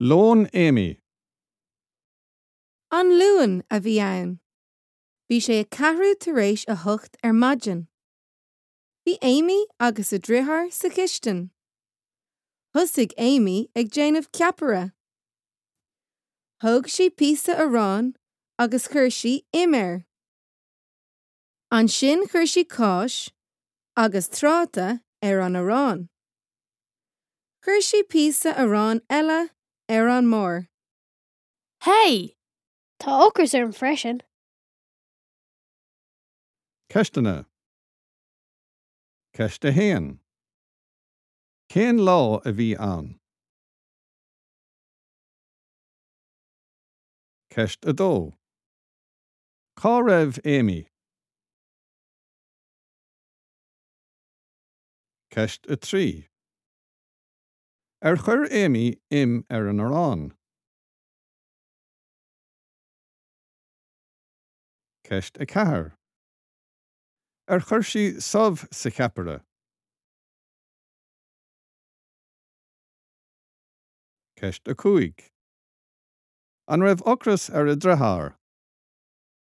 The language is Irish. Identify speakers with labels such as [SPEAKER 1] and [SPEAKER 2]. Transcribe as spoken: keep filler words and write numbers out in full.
[SPEAKER 1] Lón Amy.
[SPEAKER 2] An Luan a bhí ann. Bhí sé a ceathrú tar éis a hocht ar maidin. Bhí Amy agus a deartháir sa chistin. Thosaigh Amy ag déanamh ceapaire. Thóg sí píosa aráin agus chuir sí im air. Ansin chuir sí cáis agus tráta ar an arán. Chuir sí píosa aráin eile ar an mbarr.
[SPEAKER 3] Hey!
[SPEAKER 4] Tá ocras orm freisin.
[SPEAKER 1] Ceisteanna. Ceist a haon. Cén lá a bhí ann? Ceist a dó. Cá raibh Amy? Ceist a trí. Ar chuir Amy im ar an arán? Ceist a ceathair. Ar chuir sí subh sa cheapaire? Ceist a cúig. An raibh ocras ar a deartháir?